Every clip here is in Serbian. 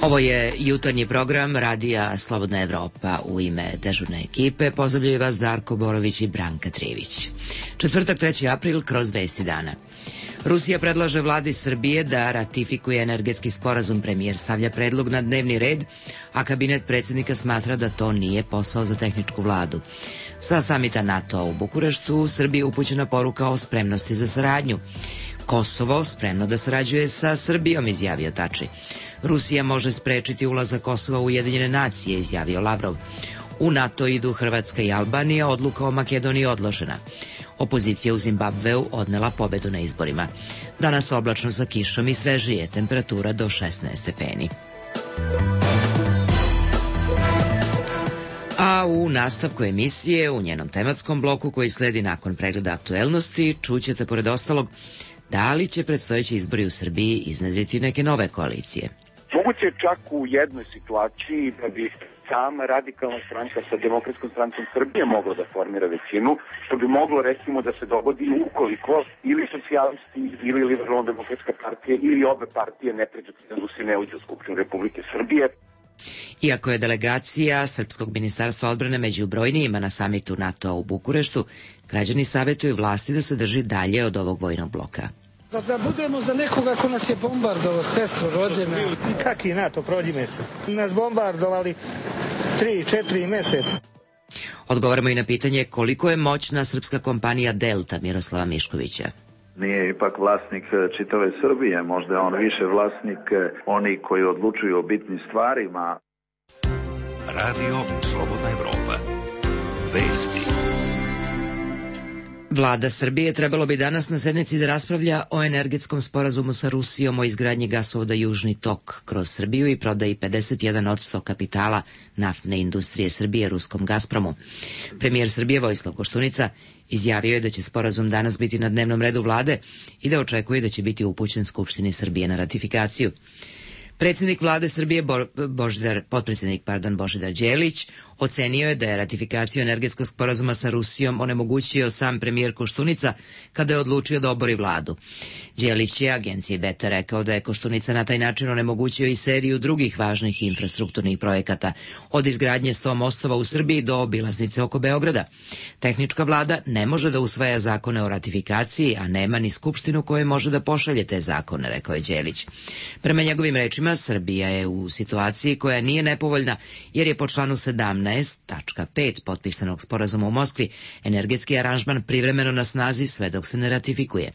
Ovo je jutarnji program Radija Slobodna Evropa. U ime dežurne ekipe pozdravljaju vas Darko Borović i Branka Trivić. Četvrtak, 3. april, kroz vesti dana. Rusija predlaže vladi Srbije da ratifikuje energetski sporazum. Premijer stavlja predlog na dnevni red, a kabinet predsjednika smatra da to nije posao za tehničku vladu. Sa samita NATO u Bukureštu Srbiji upućena poruka o spremnosti za saradnju. Kosovo spremno da sarađuje sa Srbijom, izjavio Tači. Rusija može sprečiti ulazak Kosova u Ujedinjene nacije, izjavio Lavrov. U NATO idu Hrvatska i Albanija, odluka o Makedoniji odložena. Opozicija u Zimbabveu odnela pobedu na izborima. Danas oblačno sa kišom i svežije, temperatura do 16 stepeni. A u nastavku emisije, u njenom tematskom bloku koji sledi nakon pregleda aktuelnosti, čućete pored ostalog da li će predstojeći izbori u Srbiji iznedriti neke nove koalicije. Moguće je čak u jednoj situaciji da bi sama radikalna stranka sa Demokratskom strankom Srbije mogla da formira većinu, što bi moglo recimo da se dogodi ukoliko ili socijalisti ili Liberalno-demokratska partija ili obe partije ne pređu cenzus i ne uđu u Skupštinu Republike Srbije. Iako je delegacija Srpskog ministarstva odbrane među brojnijima na samitu NATO u Bukureštu, građani savjetuju vlasti da se drži dalje od ovog vojnog bloka. Da budemo za nekoga ko nas je bombardovao, sestru rođena. Kaki NATO, prođi mesec. Nas bombardovali 3-4 meseca. Odgovaramo i na pitanje koliko je moćna srpska kompanija Delta Miroslava Miškovića. Nije ipak vlasnik čitave Srbije, možda je on više vlasnik oni koji odlučuju o bitnim stvarima. Radio Slobodna Evropa. Vesti. Vlada Srbije trebalo bi danas na sednici da raspravlja o energetskom sporazumu sa Rusijom o izgradnji gasovoda Južni tok kroz Srbiju i prodaji 51% kapitala naftne industrije Srbije ruskom Gazpromu. Premijer Srbije Vojislav Koštunica izjavio je da će sporazum danas biti na dnevnom redu vlade i da očekuje da će biti upućen Skupštini Srbije na ratifikaciju. Predsjednik vlade Srbije Božidar Đelić ocenio je da je ratifikaciju energetskog sporazuma sa Rusijom onemogućio sam premijer Koštunica kada je odlučio da obori vladu. Đelić je agenciji Beta rekao da je Koštunica na taj način onemogućio i seriju drugih važnih infrastrukturnih projekata, od izgradnje 100 mostova u Srbiji do obilaznice oko Beograda. Tehnička vlada ne može da usvaja zakone o ratifikaciji, a nema ni skupštinu koja može da pošalje te zakone, rekao je Đelić. Prema njegovim rečima, Srbija je u situaciji koja nije nepovoljna, jer je po članu 17.5 potpisanog sporazuma u Moskvi energetski aranžman privremeno na snazi sve dok se ne ratifikuje.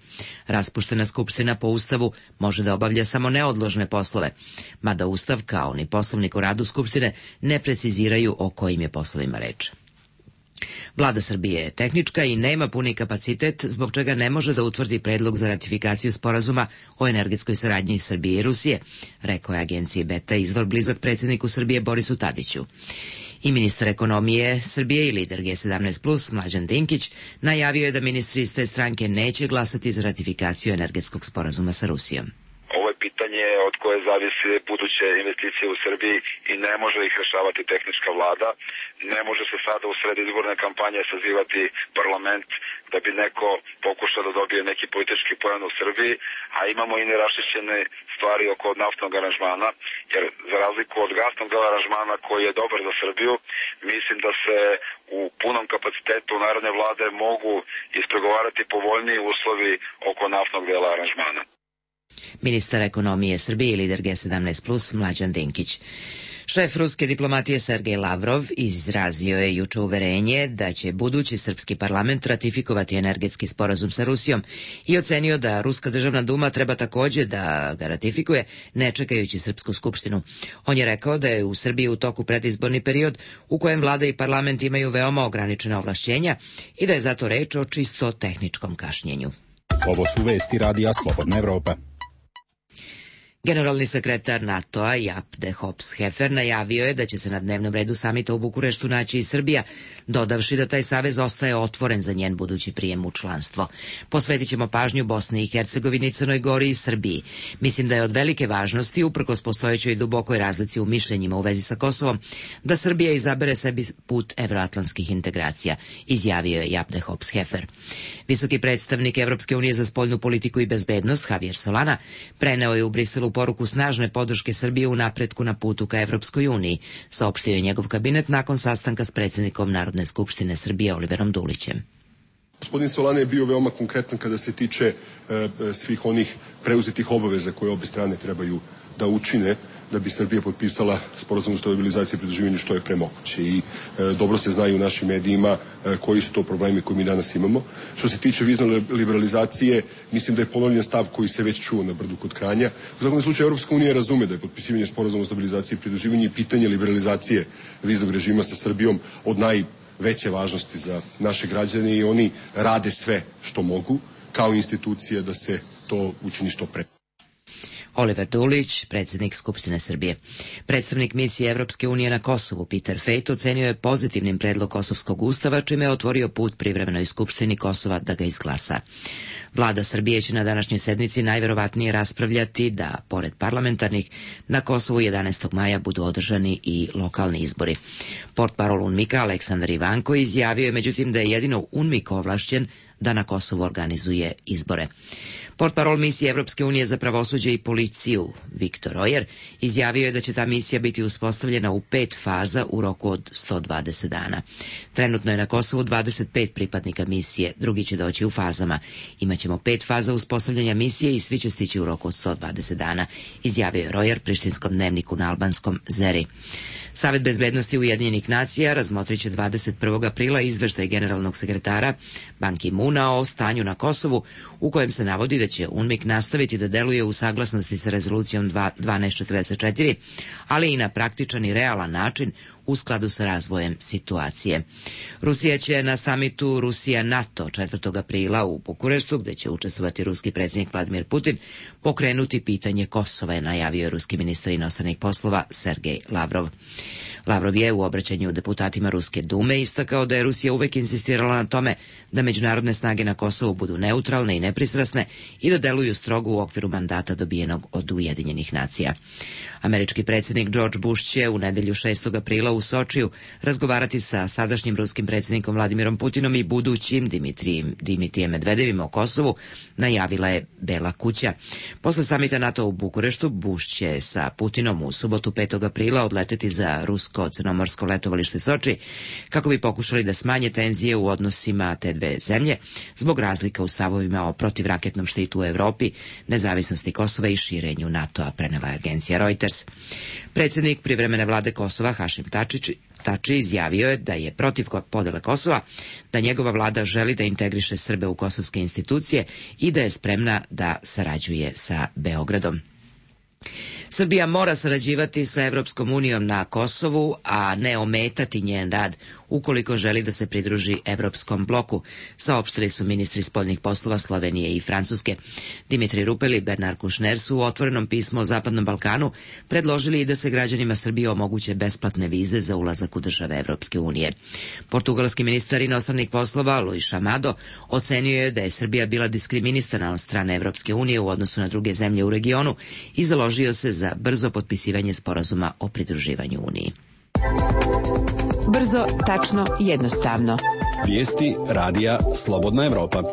Raspuštena skupština po Ustavu može da obavlja samo neodložne poslove, mada Ustav kao ni poslovnik o radu skupštine ne preciziraju o kojim je poslovima reč. Vlada Srbije je tehnička i nema puni kapacitet, zbog čega ne može da utvrdi predlog za ratifikaciju sporazuma o energetskoj saradnji Srbije i Rusije, rekao je agenciji Beta izvor blizak predsjedniku Srbije Borisu Tadiću. I ministar ekonomije Srbije i lider G17+, Mlađan Dinkić, najavio je da ministri iz te stranke neće glasati za ratifikaciju energetskog sporazuma sa Rusijom. Pitanje od koje zavisi buduće investicije u Srbiji i ne može ih rešavati tehnička vlada. Ne može se sada u sred izborne kampanje sazivati parlament da bi neko pokušao da dobije neki politički poen u Srbiji, a imamo i neraščišćene stvari oko naftnog aranžmana, jer za razliku od gasnog aranžmana koji je dobar za Srbiju, mislim da se u punom kapacitetu narodne vlade mogu ispregovarati povoljniji uslovi oko naftnog dela aranžmana. Ministar ekonomije Srbije i lider G17+, Mlađan Dinkić. Šef ruske diplomatije Sergej Lavrov izrazio je juče uverenje da će budući srpski parlament ratifikovati energetski sporazum sa Rusijom i ocenio da Ruska državna duma treba takođe da ga ratifikuje, ne čekajući Srpsku skupštinu. On je rekao da je u Srbiji u toku predizborni period u kojem vlada i parlament imaju veoma ograničena ovlašćenja i da je zato reč o čisto tehničkom kašnjenju. Ovo su vesti Radija Slobodna Evropa. Generalni sekretar NATO-a Jaap de Hoop-Scheffer najavio je da će se na dnevnom redu samita u Bukureštu naći i Srbija, dodavši da taj savez ostaje otvoren za njen budući prijem u članstvo. Posvetit ćemo pažnju Bosni i Hercegovini, Crnoj Gori i Srbiji. Mislim da je od velike važnosti, uprkos postojećoj dubokoj razlici u mišljenjima u vezi sa Kosovom, da Srbija izabere sebi put evroatlantskih integracija, izjavio je Jaap de Hoop-Scheffer. Visoki predstavnik Evropske unije za spoljnu politiku i bezbednost Javier Solana preneo je u Briselu poruku snažne podrške Srbije u napretku na putu ka Evropskoj uniji, saopštio je njegov kabinet nakon sastanka s predsjednikom Narodne skupštine Srbije Oliverom Dulićem. Gospodin Solana je bio veoma konkretan kada se tiče svih onih preuzetih obaveza koje obe strane trebaju da učine da bi Srbija potpisala sporazum o stabilizaciji i pridruživanju što je pre moguće. I dobro se znaju u našim medijima koji su to problemi koje mi danas imamo. Što se tiče vizne liberalizacije, mislim da je ponovljen stav koji se već čuo na Brdu kod Kranja. U svakom slučaju, Evropska unija razume da je potpisivanje sporazuma o stabilizaciji i pridruživanju i pitanje liberalizacije viznog režima sa Srbijom od najveće važnosti za naše građane i oni rade sve što mogu kao institucije da se to učini što pre. Oliver Dulić, predsjednik Skupštine Srbije. Predstavnik misije Evropske unije na Kosovu, Peter Fejt, ocenio je pozitivnim predlog Kosovskog ustava, čime je otvorio put privremenoj Skupštini Kosova da ga izglasa. Vlada Srbije će na današnjoj sednici najverovatnije raspravljati da, pored parlamentarnih, na Kosovu 11. maja budu održani i lokalni izbori. Portparol UNMIK-a Aleksandar Ivanko izjavio je međutim da je jedino UNMIK ovlašćen da na Kosovu organizuje izbore. Portparol misije Evropske unije za pravosuđe i policiju, Viktor Rojer, izjavio je da će ta misija biti uspostavljena u 5 faza u roku od 120 dana. Trenutno je na Kosovu 25 pripadnika misije, drugi će doći u fazama. Imaćemo 5 faza uspostavljanja misije i svi će stići u roku od 120 dana, izjavio je Rojer prištinskom dnevniku na albanskom Zeri. Savet bezbednosti Ujedinjenih nacija razmotrit će 21. aprila izveštaj generalnog sekretara Ban Ki-moona o stanju na Kosovu, u kojem se navodi da će UNMIK nastaviti da deluje u saglasnosti sa rezolucijom 1244, ali i na praktičan i realan način u skladu sa razvojem situacije. Rusija će na samitu Rusija-NATO 4. aprila u Bukureštu, gde će učestvovati ruski predsjednik Vladimir Putin, pokrenuti pitanje Kosova, je najavio ruski ministar inostranih poslova Sergej Lavrov. Lavrov je u obraćanju deputatima Ruske dume istakao da je Rusija uvek insistirala na tome da međunarodne snage na Kosovu budu neutralne i nepristrasne i da deluju strogo u okviru mandata dobijenog od Ujedinjenih nacija. Američki predsjednik George Bush će u nedelju 6. aprila u Sočiju razgovarati sa sadašnjim ruskim predsjednikom Vladimirom Putinom i budućim Dimitrijem Medvedevim o Kosovu, najavila je Bela kuća. Posle samita NATO u Bukureštu, Bush će sa Putinom u subotu 5. aprila odleteti za rusko-crnomorsko letovalište Soči kako bi pokušali da smanje tenzije u odnosima te dve zemlje zbog razlika u stavovima o protivraketnom štitu u Evropi, nezavisnosti Kosova i širenju NATO-a, prenela je agencija Reuters. Predsjednik privremene vlade Kosova Hašim Tači izjavio je da je protiv podele Kosova, da njegova vlada želi da integriše Srbe u kosovske institucije i da je spremna da sarađuje sa Beogradom. Srbija mora sarađivati sa Evropskom unijom na Kosovu, a ne ometati njen rad ukoliko želi da se pridruži Evropskom bloku, saopštili su ministri spoljnih poslova Slovenije i Francuske. Dimitri Rupel i Bernard Kouchner su u otvorenom pismu o Zapadnom Balkanu predložili i da se građanima Srbije omoguće besplatne vize za ulazak u države Evropske unije. Portugalski ministar inostranih poslova Luis Amado ocenio je da je Srbija bila diskriminisana od strane Evropske unije u odnosu na druge zemlje u regionu i založio se za brzo potpisivanje sporazuma o pridruživanju Uniji. Brzo, tačno, jednostavno. Vijesti radija Slobodna Evropa.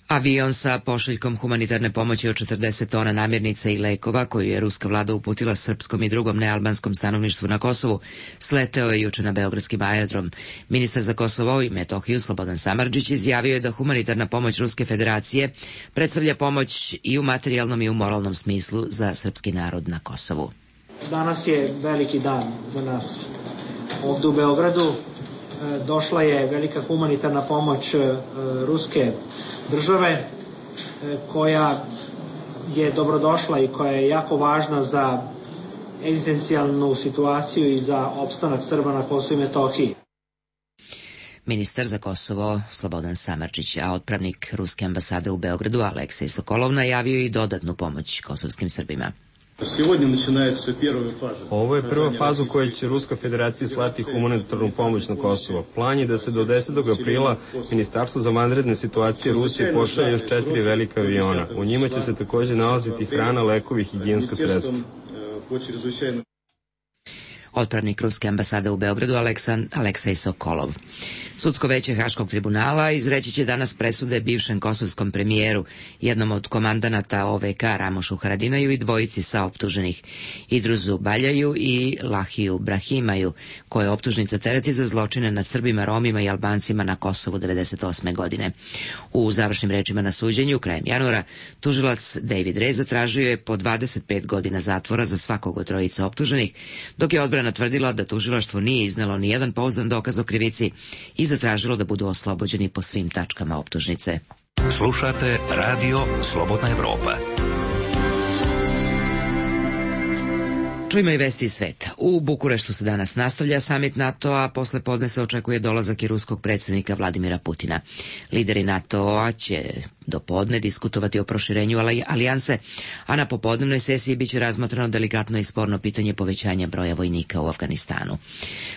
Avion sa pošiljkom humanitarne pomoći od 40 tona namirnica i lekova koju je ruska vlada uputila srpskom i drugom nealbanskom stanovništvu na Kosovu sleteo je juče na beogradski aerodrom. Ministar za Kosovo i Metohiju Slobodan Samardžić izjavio je da humanitarna pomoć Ruske federacije predstavlja pomoć i u materijalnom i u moralnom smislu za srpski narod na Kosovu. Danas je veliki dan za nas ovdje u Beogradu. Došla je velika humanitarna pomoć Ruske države koja je dobrodošla i koja je jako važna za egzistencijalnu situaciju i za opstanak Srba na Kosovu i Metohiji. Ministar za Kosovo Slobodan Samardžić, a otpravnik Ruske ambasade u Beogradu Aleksej Sokolov najavio i dodatnu pomoć kosovskim Srbima. Ovo je prva faza u kojoj će Ruska federacija slati humanitarnu pomoć na Kosovo. Plan je da se do 10. aprila Ministarstvo za vanredne situacije Rusije pošalje još 4 velika aviona. U njima će se također nalaziti hrana, lekovi i higijenska sredstva. otpravnik ruske ambasade u Beogradu Aleksej Sokolov. Sudsko veće Haškog tribunala izreći će danas presude bivšem kosovskom premijeru, jednom od komandanata OVK Ramošu Haradinaju i dvojici saoptuženih Idruzu Baljaju i Lahiju Brahimaju, koje optužnica tereti za zločine nad Srbima, Romima i Albancima na Kosovu 1998. godine. U završnim rečima na suđenju krajem januara tužilac David Ray zatražio je po 25 godina zatvora za svakog od trojice optuženih, dok je odbrana tvrdila da tužilaštvo nije iznelo ni jedan pouzdan dokaz o krivici i zatražilo da budu oslobođeni po svim tačkama optužnice. Slušate Radio Slobodna Evropa. Čujmo i vesti iz sveta. U Bukureštu se danas nastavlja samit NATO-a, posle podne se očekuje dolazak i ruskog predsjednika Vladimira Putina. Lideri NATO-a će do podne diskutovati o proširenju alijanse, a na popodnevnoj sesiji biće razmotreno delikatno i sporno pitanje povećanja broja vojnika u Afganistanu.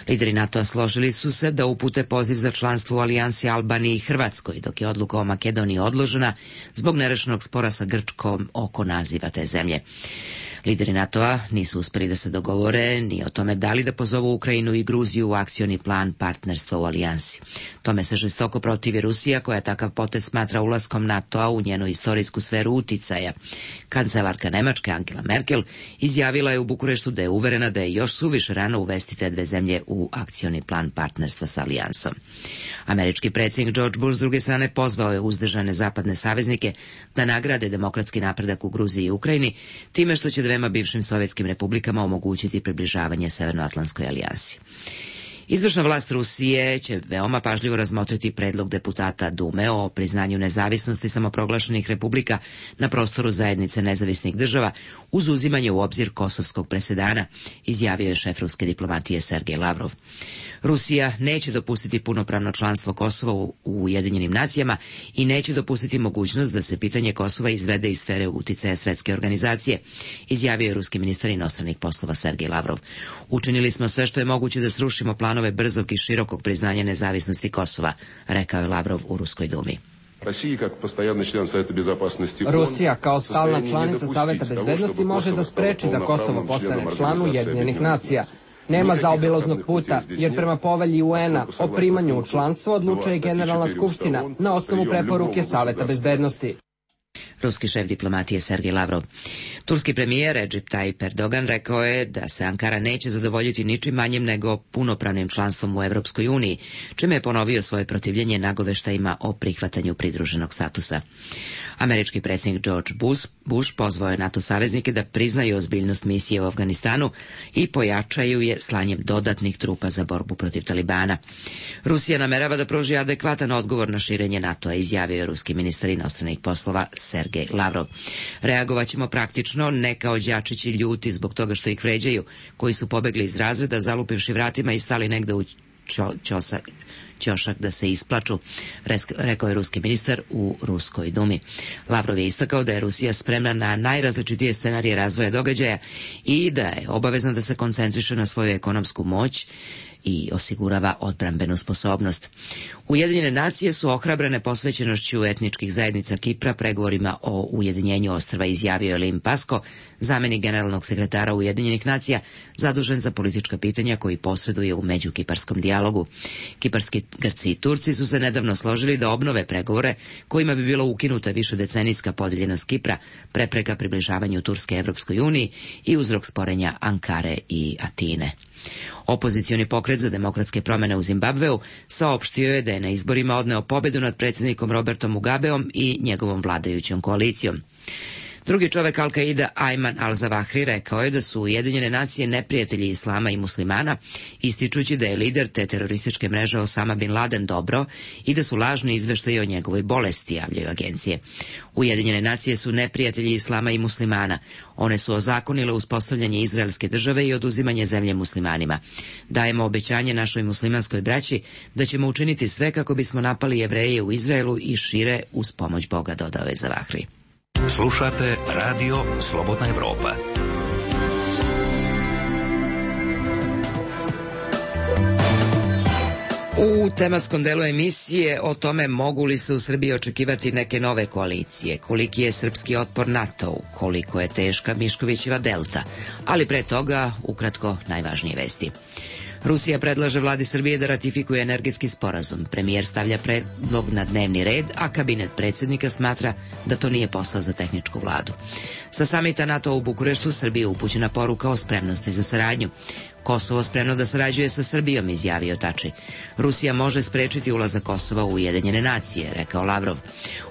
Lideri NATO-a složili su se da upute poziv za članstvo u alijansi Albaniji i Hrvatskoj, dok je odluka o Makedoniji odložena zbog nerešenog spora sa Grčkom oko naziva te zemlje. Lideri NATO-a nisu uspeli da se dogovore ni o tome da li da pozovu Ukrajinu i Gruziju u akcioni plan partnerstva u alijansi. Tome se žestoko protivi Rusija, koja takav potez smatra ulaskom NATO-a u njenu istorijsku sferu uticaja. Kancelarka Nemačke Angela Merkel izjavila je u Bukureštu da je uverena da je još suviše rano uvesti te dve zemlje u akcioni plan partnerstva sa alijansom. Američki predsjednik George Bush s druge strane pozvao je uzdržane zapadne saveznike da nagrade demokratski napredak u Gruziji i Ukrajini time što će dvema bivšim sovjetskim republikama omogućiti približavanje Severnoatlantskoj alijansi. Izvršna vlast Rusije će veoma pažljivo razmotriti predlog deputata Dume o priznanju nezavisnosti samoproglašenih republika na prostoru zajednice nezavisnih država uz uzimanje u obzir kosovskog presedana, izjavio je šef ruske diplomatije Sergej Lavrov. Rusija neće dopustiti punopravno članstvo Kosova u Ujedinjenim nacijama i neće dopustiti mogućnost da se pitanje Kosova izvede iz sfere uticaja svetske organizacije, izjavio je ruski ministar inostranih poslova Sergej Lavrov. Učinili smo sve što je moguće da srušimo planove brzog i širokog priznanja nezavisnosti Kosova, rekao je Lavrov u Ruskoj dumi. Rusija kao stalna članica Saveta bezbednosti može da spreči da Kosovo postane član Ujedinjenih nacija. Nema zaobilaznog puta, jer prema povelji UN-a o primanju u članstvo odlučuje Generalna skupština na osnovu preporuke Saveta bezbednosti. Ruski šef diplomatije Sergej Lavrov. Turski premijer Recep Tayyip Erdogan rekao je da se Ankara neće zadovoljiti ničim manjim nego punopravnim članstvom u Evropskoj uniji, čime je ponovio svoje protivljenje nagoveštajima o prihvatanju pridruženog statusa. Američki predsjednik George Bush pozvao je NATO saveznike da priznaju ozbiljnost misije u Afganistanu i pojačaju je slanjem dodatnih trupa za borbu protiv Talibana. Rusija namerava da pruži adekvatan odgovor na širenje NATO-a, izjavio je ruski ministar inostranih poslova Sergej Lavrov. Reagovaćemo praktično, ne kao đačići ljuti zbog toga što ih vređaju, koji su pobegli iz razreda, zalupivši vratima i stali negde u ćošak da se isplaču, rekao je ruski ministar u Ruskoj dumi. Lavrov je istakao da je Rusija spremna na najrazličitije scenarije razvoja događaja i da je obavezna da se koncentriše na svoju ekonomsku moć i osigurava odbrambenu sposobnost. Ujedinjene nacije su ohrabrene posvećenošću etničkih zajednica Kipra pregovorima o ujedinjenju ostrva, izjavio je Lim Pasko, zamenik generalnog sekretara Ujedinjenih nacija, zadužen za politička pitanja koji posreduje u međukiparskom dijalogu. Kiparski Grci i Turci su se nedavno složili da obnove pregovore kojima bi bilo ukinuta višedecenijska podijeljenost Kipra, prepreka približavanju Turske Evropskoj uniji i uzrok sporenja Ankare i Atine. Opozicioni pokret za demokratske promjene u Zimbabveu saopštio je da je na izborima odneo pobedu nad predsjednikom Robertom Mugabeom i njegovom vladajućom koalicijom. Drugi čovek Al-Qaida, Ayman al-Zawahri, rekao je da su Ujedinjene nacije neprijatelji islama i muslimana, ističući da je lider te terorističke mreže Osama bin Laden dobro i da su lažni izveštaji o njegovoj bolesti, javljaju agencije. Ujedinjene nacije su neprijatelji islama i muslimana. One su ozakonile uspostavljanje izraelske države i oduzimanje zemlje muslimanima. Dajemo obećanje našoj muslimanskoj braći da ćemo učiniti sve kako bismo napali Jevreje u Izraelu i šire uz pomoć Boga, dodao je Zawahri. Slušate Radio Slobodna Evropa. U tematskom delu emisije o tome mogu li se u Srbiji očekivati neke nove koalicije, koliki je srpski otpor NATO-u, koliko je teška Miškovićeva delta, ali pre toga ukratko najvažnije vesti. Rusija predlaže vladi Srbije da ratifikuje energetski sporazum. Premijer stavlja predlog na dnevni red, a kabinet predsjednika smatra da to nije posao za tehničku vladu. Sa samita NATO u Bukureštu Srbiji upućena poruka o spremnosti za saradnju. Kosovo spremno da sarađuje sa Srbijom, izjavio Tači. Rusija može sprečiti ulazak Kosova u Ujedinjene nacije, rekao Lavrov.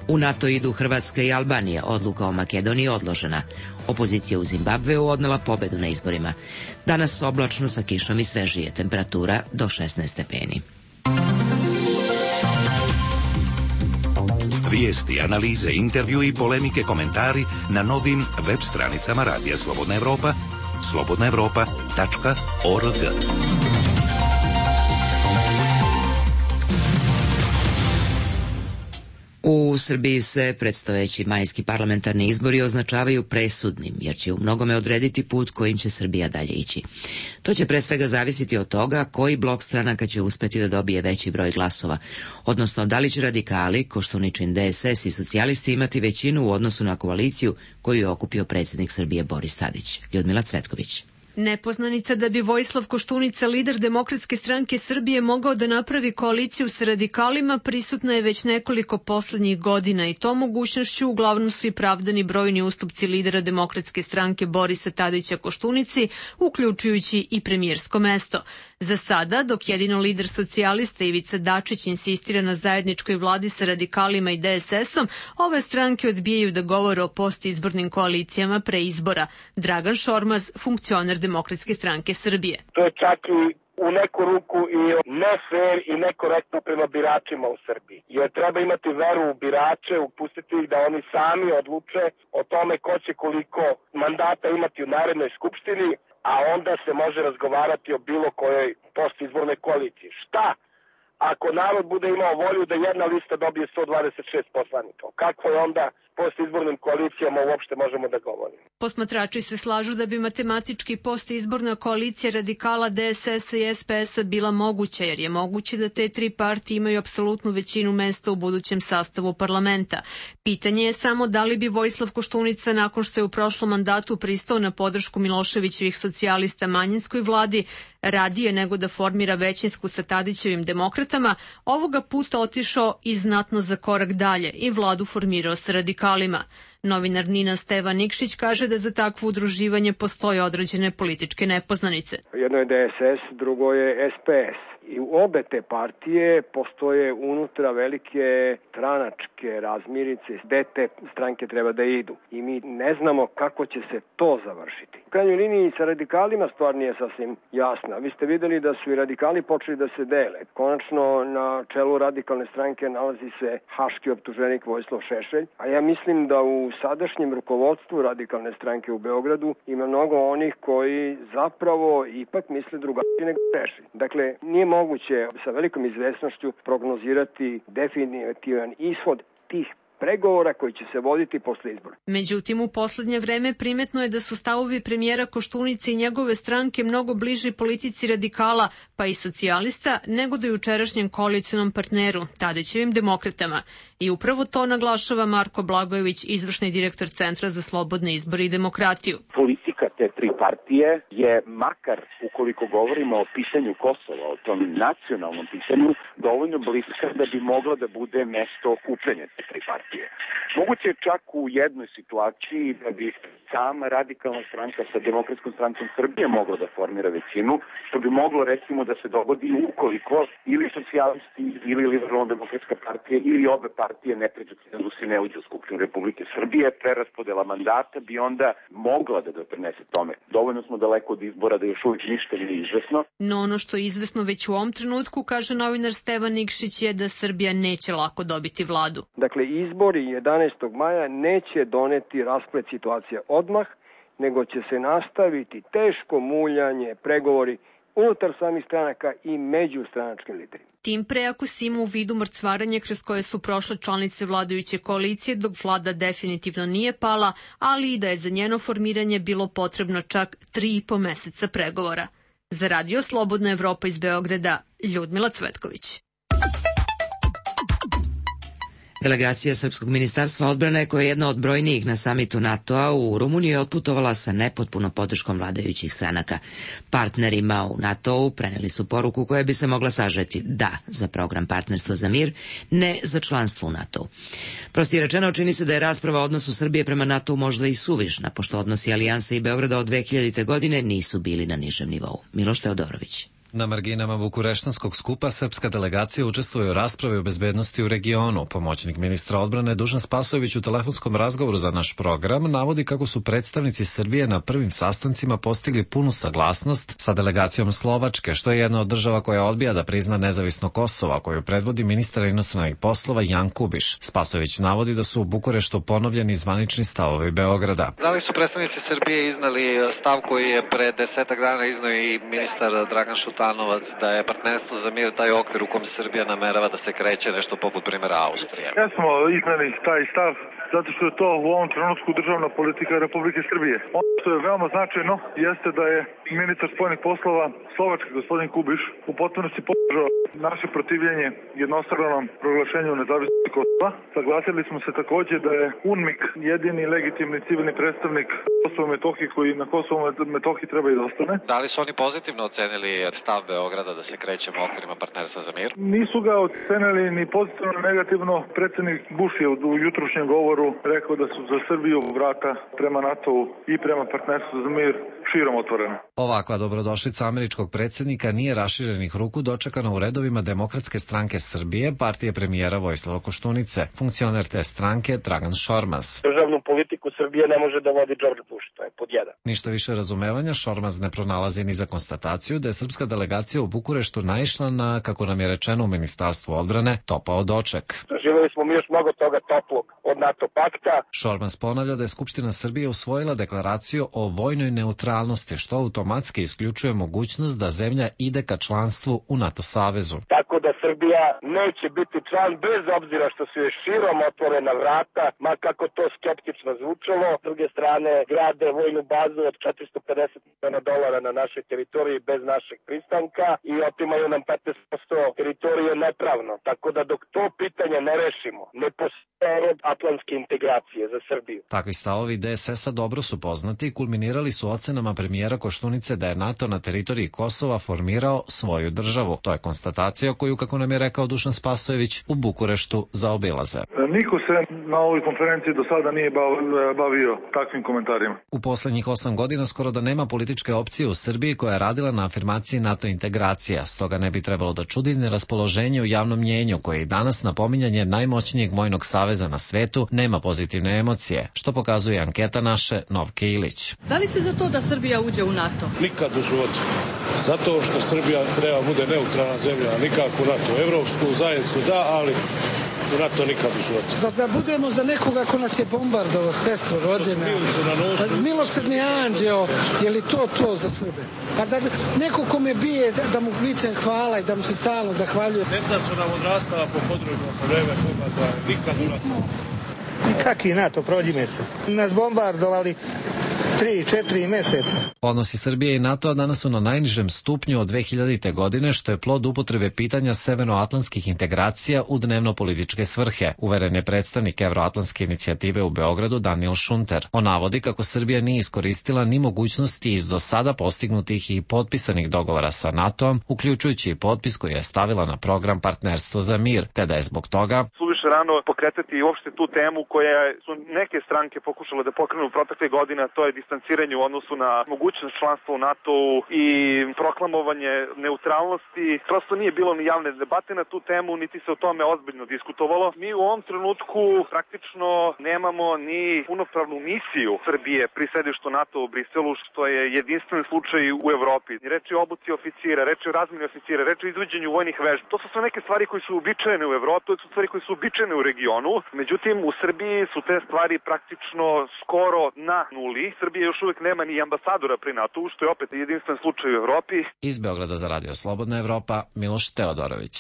U NATO idu Hrvatska i Albanija, odluka o Makedoniji odložena. Opozicija u Zimbabveu odnela pobedu na izborima. Danas oblačno sa kišom i svežije, temperatura do 16 stepeni. Vijesti, analize, intervju i polemike, komentari na novim web stranicama Radija Slobodna Evropa, slobodnaevropa.org. U Srbiji se predstojeći majski parlamentarni izbori označavaju presudnim, jer će u mnogome odrediti put kojim će Srbija dalje ići. To će pre svega zavisiti od toga koji blok stranaka će uspeti da dobije veći broj glasova, odnosno da li će radikali, Koštuničin DSS i socijalisti imati većinu u odnosu na koaliciju koju je okupio predsjednik Srbije Boris Tadić. Ljudmila Cvetković. Nepoznanica da bi Vojislav Koštunica, lider Demokratske stranke Srbije, mogao da napravi koaliciju sa radikalima, prisutna je već nekoliko poslednjih godina i to mogućnošću uglavnom su i pravdani brojni ustupci lidera Demokratske stranke Borisa Tadića Koštunici, uključujući i premijersko mesto. Za sada, dok jedino lider socijalista Ivica Dačić insistira na zajedničkoj vladi sa radikalima i DSS-om, ove stranke odbijaju da govore o postizbornim koalicijama pre izbora. Dragan Šormaz, funkcioner Demokratske stranke Srbije. To je čak i u neku ruku i ne fair i nekorektno prema biračima u Srbiji. Jer treba imati veru u birače, upustiti ih da oni sami odluče o tome ko će koliko mandata imati u Narodnoj skupštini, a onda se može razgovarati o bilo kojoj postizbornoj koaliciji. Šta ako narod bude imao volju da jedna lista dobije 126 poslanika? Kako je onda postizbornim koalicijama uopšte možemo da govorimo? Posmatrači se slažu da bi matematički postizborna koalicija radikala, DSS i SPS-a bila moguća, jer je moguće da te tri partije imaju apsolutnu većinu mesta u budućem sastavu parlamenta. Pitanje je samo da li bi Vojislav Koštunica, nakon što je u prošlom mandatu pristao na podršku Miloševićevih socijalista manjinskoj vladi, radije nego da formira većinsku sa Tadićevim demokratama, ovoga puta otišao i znatno za korak dalje i vladu formirao sa radikalima. Novinar Nina Stevan Nikšić kaže da za takvo udruživanje postoje određene političke nepoznanice. Jedno je DSS, drugo je SPS. I u obe te partije postoje unutra velike stranačke razmirice gde te stranke treba da idu. I mi ne znamo kako će se to završiti. U krajnjoj liniji sa radikalima stvar nije sasvim jasna. Vi ste videli da su i radikali počeli da se dele. Konačno na čelu radikalne stranke nalazi se haški optuženik Vojislav Šešelj, a ja mislim da u sadašnjem rukovodstvu radikalne stranke u Beogradu ima mnogo onih koji zapravo ipak misle drugačije nego Šešelj. Dakle, nije moguće sa velikom izvesnošću prognozirati definitivan ishod tih pregovora koji će se voditi posle izbora. Međutim, u poslednje vreme primetno je da su stavovi premijera Koštunice i njegove stranke mnogo bliži politici radikala, pa i socijalista, nego do jučerašnjem koalicionom partneru, Tadićevim demokratama. I upravo to naglašava Marko Blagojević, izvršni direktor Centra za slobodne izbore i demokratiju. Politika te tri partije je, makar ukoliko govorimo o pitanju Kosova, o tom nacionalnom pitanju, dovoljno bliska da bi mogla da bude mesto okupljanja te tri partije. Moguće je čak u jednoj situaciji da bi sama radikalna stranka sa Demokratskom strankom Srbije mogla da formira većinu, što bi moglo recimo da se dogodi ukoliko ili socijalisti ili Liberalno-demokratska partija ili obe partije ne pređu cenzus i ne uđu u Skupštinu Republike Srbije, preraspodela mandata bi onda mogla da doprinese tome. Dovoljno smo daleko od izbora da još uvijek ništa nije izvesno. No ono što je izvesno već u ovom trenutku, kaže novinar Stevan Nikšić, je da Srbija neće lako dobiti vladu. Dakle, izbori 11. maja neće doneti rasplet situacije odmah, nego će se nastaviti teško muljanje, pregovori unutar samih stranaka i među stranačkim liderima. Tim pre ako si ima u vidu mrcvaranje kroz koje su prošle članice vladajuće koalicije dok vlada definitivno nije pala, ali i da je za njeno formiranje bilo potrebno čak 3,5 meseca pregovora. Za Radio Slobodna Evropa iz Beograda, Ljudmila Cvetković. Delegacija Srpskog ministarstva odbrane, koja je jedna od brojnijih na samitu NATO-a u Rumuniji, je otputovala sa nepotpunom podrškom vladajućih stranaka. Partnerima u NATO-u preneli su poruku koja bi se mogla sažeti da za program Partnerstva za mir, ne za članstvo u NATO-u. Prosti rečeno, čini se da je rasprava o odnosu Srbije prema NATO-u možda i suvišna, pošto odnosi Alijansa i Beograda od 2000. godine nisu bili na nižem nivou. Miloš Teodorović. Na marginama Bukureštanskog skupa srpska delegacija učestvuje u raspravi o bezbednosti u regionu. Pomoćnik ministra odbrane Dušan Spasojević u telefonskom razgovoru za naš program navodi kako su predstavnici Srbije na prvim sastancima postigli punu saglasnost sa delegacijom Slovačke, što je jedna od država koja odbija da prizna nezavisno Kosovo, koju predvodi ministar inostranih poslova Jan Kubiš. Spasojević navodi da su u Bukureštu ponovljeni zvanični stavovi Beograda. Da li su predstavnici Srbije iznali stav koji je pre 10 dana iznao i ministar Dragan Šutanovac, da je Partnerstvo za mir taj okvir u kom Srbija namerava da se kreće, nešto poput primjera Austrije? Ja smo iznali taj stav zato što je to u ovom trenutku državna politika Republike Srbije. Ono što je veoma značajno jeste da je ministar spoljnih poslova Slovačke, gospodin Kubiš, u potpunosti podržao naše protivljenje jednostranom proglašenju nezavisnosti Kosova. Saglasili smo se takođe da je UNMIK jedini legitimni civilni predstavnik Kosova i Metohije koji na Kosovu i Metohiji treba i da ostane. Da li su oni pozitivno ocenili stav Beograda da se krećemo okvirima Partnerstva za mir? Nisu ga ocenili ni pozitivno ni negativno. Predsednik Bush je u jutrošnjem govoru rekao da su za Srbiju vrata prema NATO-u i prema Partnerstvu za mir širom otvorena. Ovakva dobrodošlica američkog predsjednika nije raširenih ruku dočekana u redovima Demokratske stranke Srbije, partije premijera Vojislava Koštunice. Funkcioner te stranke Dragan Šormaz. Državnu politiku Srbije ne može da vodi George Bush, to je pod jedan. Ništa više razumevanja Šormaz ne pronalazi ni za konstataciju da je srpska delegacija u Bukureštu naišla na, kako nam je rečeno u Ministarstvu odbrane, topao doček. Doživeli smo mi još mnogo toga toplog od NATO pakta. Šormaz ponavlja da je Skupština Srbije usvojila deklaraciju o vojnoj neutralnosti, što automatski isključuje mogućnost da zemlja ide ka članstvu u NATO savezu. Tako da Srbija neće biti član bez obzira što su je širom otvorena vrata, ma kako to skeptično zvučalo. S druge strane, grade vojnu bazu od $450 miliona na našoj teritoriji bez našeg pristanka i otimaju nam 15% teritorije nepravno. Tako da dok to pitanje ne rešimo, ne postoje atlantske integracije za Srbiju. Takvi stavovi DSS-a dobro su poznati i kulminirali su ocenama premijera Koštunice da je NATO na teritoriji Kosova formirao svoju državu. To je konstatacija koju, kako nam je rekao Dušan Spasojević, u Bukureštu zaobilaze. Niko se na ovoj konferenciji do sada nije bavio takvim komentarima. U poslednjih 8 godina skoro da nema političke opcije u Srbiji koja je radila na afirmaciji NATO integracija, stoga ne bi trebalo da čudi neraspoloženje u javnom mnjenju koje i danas na pominjanje najmoćnijeg vojnog saveza na svetu nema pozitivne emocije, što pokazuje anketa naše Novke Ilić. Da li ste za to da Srbija uđe u NATO? Nikad u životu. Zato što Srbija treba bude neutralna zemlja, nikako u NATO. Evropsku zajednicu da, ali u NATO nikad u životu. Da budemo za nekoga ko nas je bombardovao, sestro rođena. Milosrdni anđeo, je li to za Srbe? Pa da neko ko me bije, da mu vičem hvala i da mu se stalno zahvaljuje. Deca su nam odrastala po području za vreme bombardovanja, nikad u NATO. Kaki NATO, prođi mesec. Nas bombardovali 3-4 meseca. Odnosi Srbije i NATO danas su na najnižem stupnju od 2000. godine, što je plod upotrebe pitanja severnoatlantskih integracija u dnevno-političke svrhe, uveren je predstavnik Evroatlantske inicijative u Beogradu Daniel Šunter. On navodi kako Srbija nije iskoristila ni mogućnosti iz do sada postignutih i potpisanih dogovora sa NATO-om, uključujući i potpis koji je stavila na program Partnerstvo za mir, te da je zbog toga rano pokretati i uopšte tu temu koja su neke stranke pokušale da pokrenu protekle godine, to je distanciranje u odnosu na mogućnost članstva u NATO-u i proklamovanje neutralnosti. Prosto nije bilo ni javne debate na tu temu, niti se o tome ozbiljno diskutovalo. Mi u ovom trenutku praktično nemamo ni punopravnu misiju Srbije pri sedištu NATO u Briselu, što je jedinstven slučaj u Evropi. Reč je o obuci oficira, reč je o razmeni oficira, reč je o izvođenju vojnih vežbi. To su sve neke stvari koje su uobičajene u Evropi, to su stvari koje su uobičajene u regionu. Međutim, u Srbiji su te stvari praktično skoro na nuli. Srbija još uvek nema ni ambasadora pri NATO-u, što je opet jedinstven slučaj u Evropi. Iz Beograda za Radio Slobodna Evropa, Miloš Teodorović.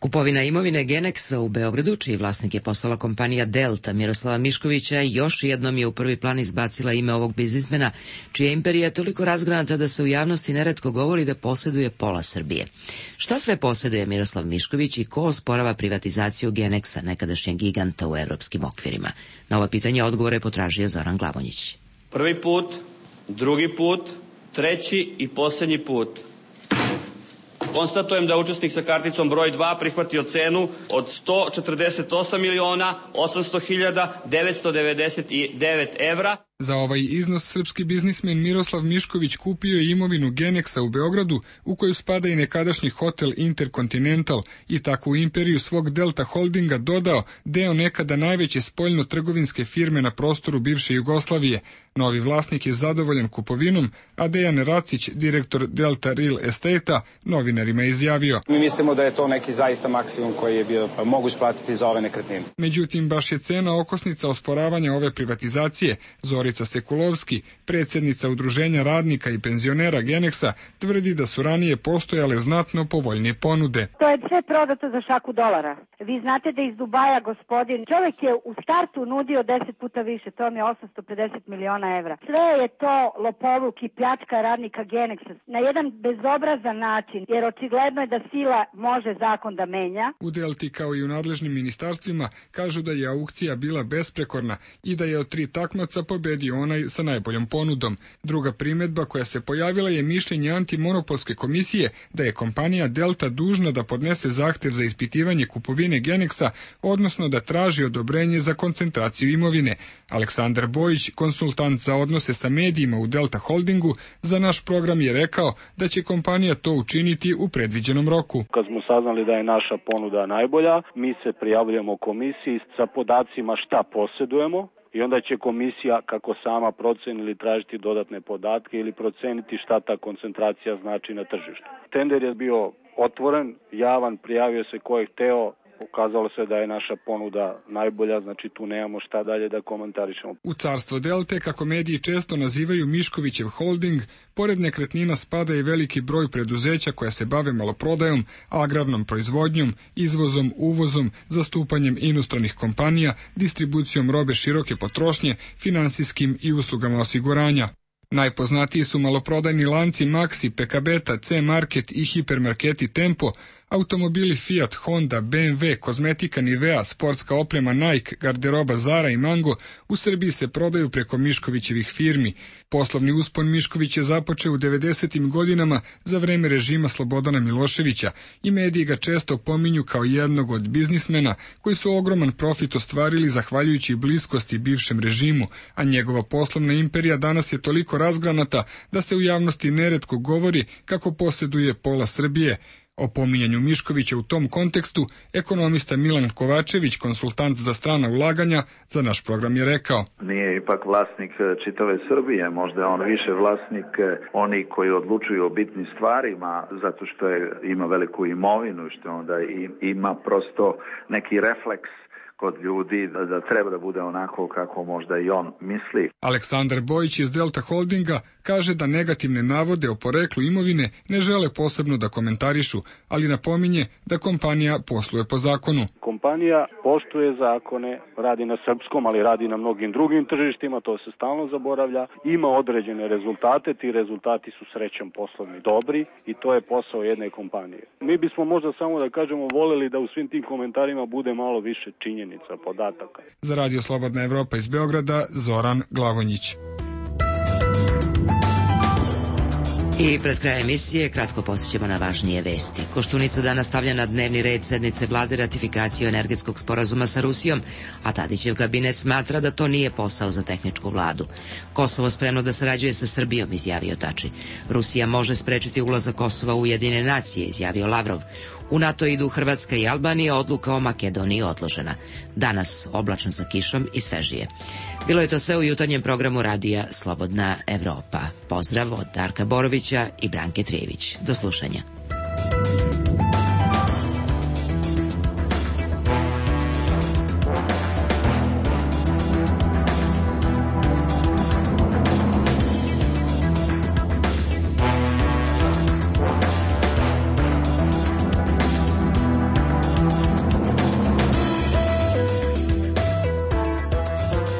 Kupovina imovine Genexa u Beogradu, čiji vlasnik je postala kompanija Delta Miroslava Miškovića, još jednom je u prvi plan izbacila ime ovog biznismena, čija imperija je toliko razgranata da se u javnosti neretko govori da posjeduje pola Srbije. Šta sve posjeduje Miroslav Mišković i ko osporava privatizaciju Genexa, nekadašnjeg giganta u evropskim okvirima? Na ova pitanja odgovore je potražio Zoran Glavonjić. Prvi put, drugi put, treći i posljednji put. Konstatujem da učesnik sa karticom broj 2 prihvatio cenu od 148.800.999 evra. Za ovaj iznos srpski biznismen Miroslav Mišković kupio je imovinu Genexa u Beogradu, u koju spada i nekadašnji hotel Intercontinental, i takvu imperiju svog Delta Holdinga dodao deo nekada najveće spoljno-trgovinske firme na prostoru bivše Jugoslavije. Novi vlasnik je zadovoljan kupovinom, a Dejan Racić, direktor Delta Real Estate-a, novinarima izjavio: Mi mislimo da je to neki zaista maksimum koji je bio moguć platiti za ove nekretnine. Međutim, baš je cena okosnica osporavanja ove privatizacije. Zorica Sekulovski, predsjednica Udruženja radnika i penzionera Genexa, tvrdi da su ranije postojale znatno povoljnije ponude. To je sve prodato za šaku dolara. Vi znate da iz Dubaja gospodin, čovjek je u startu nudio 10 puta više, to mi je 850 miliona evra. Sve je to lopovluk i pljačka radnika Genexa na jedan bezobrazan način, jer očigledno je da sila može zakon da menja. U Delti, kao i u nadležnim ministarstvima, kažu da je aukcija bila besprekorna i da je od 3 takmaca pobedio onaj sa najboljom ponudom. Druga primedba koja se pojavila je mišljenje antimonopolske komisije da je kompanija Delta dužna da podnese zahtev za ispitivanje kupovine Genexa, odnosno da traži odobrenje za koncentraciju imovine. Aleksandar Bojić, konsultant za odnose sa medijima u Delta Holdingu, za naš program je rekao da će kompanija to učiniti u predviđenom roku. Kad smo saznali da je naša ponuda najbolja, mi se prijavljujemo komisiji sa podacima šta posjedujemo, i onda će komisija, kako sama proceni, ili tražiti dodatne podatke ili proceniti šta ta koncentracija znači na tržištu. Tender je bio otvoren, javan, prijavio se ko je hteo, ukazalo se da je naša ponuda najbolja, znači tu nemamo šta dalje da komentarišemo. U carstvo Delte, kako mediji često nazivaju Miškovićev holding, pored nekretnina spada i veliki broj preduzeća koja se bave maloprodajom, agrarnom proizvodnjom, izvozom, uvozom, zastupanjem inostranih kompanija, distribucijom robe široke potrošnje, finansijskim i uslugama osiguranja. Najpoznatiji su maloprodajni lanci Maxi, PKBeta, C-Market i hipermarketi Tempo, automobili Fiat, Honda, BMW, kozmetika Nivea, sportska oprema Nike, garderoba Zara i Mango u Srbiji se prodaju preko Miškovićevih firmi. Poslovni uspon Mišković je započeo u 90. godinama za vreme režima Slobodana Miloševića i mediji ga često pominju kao jednog od biznismena koji su ogroman profit ostvarili zahvaljujući bliskosti bivšem režimu, a njegova poslovna imperija danas je toliko razgranata da se u javnosti neretko govori kako posjeduje pola Srbije. O pominjanju Miškovića u tom kontekstu ekonomista Milan Kovačević, konsultant za strana ulaganja, za naš program je rekao: Nije ipak vlasnik čitave Srbije, možda je on više vlasnik oni koji odlučuju o bitnim stvarima, zato što ima veliku imovinu, što onda ima prosto neki refleks kod ljudi da treba da bude onako kako možda i on misli. Aleksandar Bojić iz Delta Holdinga kaže da negativne navode o poreklu imovine ne žele posebno da komentarišu, ali napominje da kompanija posluje po zakonu. Kompanija poštuje zakone, radi na srpskom, ali radi na mnogim drugim tržištima, to se stalno zaboravlja, ima određene rezultate, ti rezultati su srećom poslovni dobri i to je posao jedne kompanije. Mi bismo možda samo da kažemo voleli da u svim tim komentarima bude malo više činjenica, podataka. Za Radio Slobodna Evropa iz Beograda, Zoran Glavonjić. I pred krajem emisije kratko posjećamo na važnije vesti. Koštunica danas stavlja na dnevni red sednice vlade ratifikaciju energetskog sporazuma sa Rusijom, a Tadićev kabinet smatra da to nije posao za tehničku vladu. Kosovo spremno da sarađuje sa Srbijom, izjavio Tači. Rusija može sprečiti ulazak Kosova u Ujedinjene nacije, izjavio Lavrov. U NATO idu Hrvatska i Albanija, odluka o Makedoniji odložena. Danas oblačno sa kišom i svežije. Bilo je to sve u jutarnjem programu radija Slobodna Evropa. Pozdrav od Darka Borovića i Branke Trijević. Do slušanja.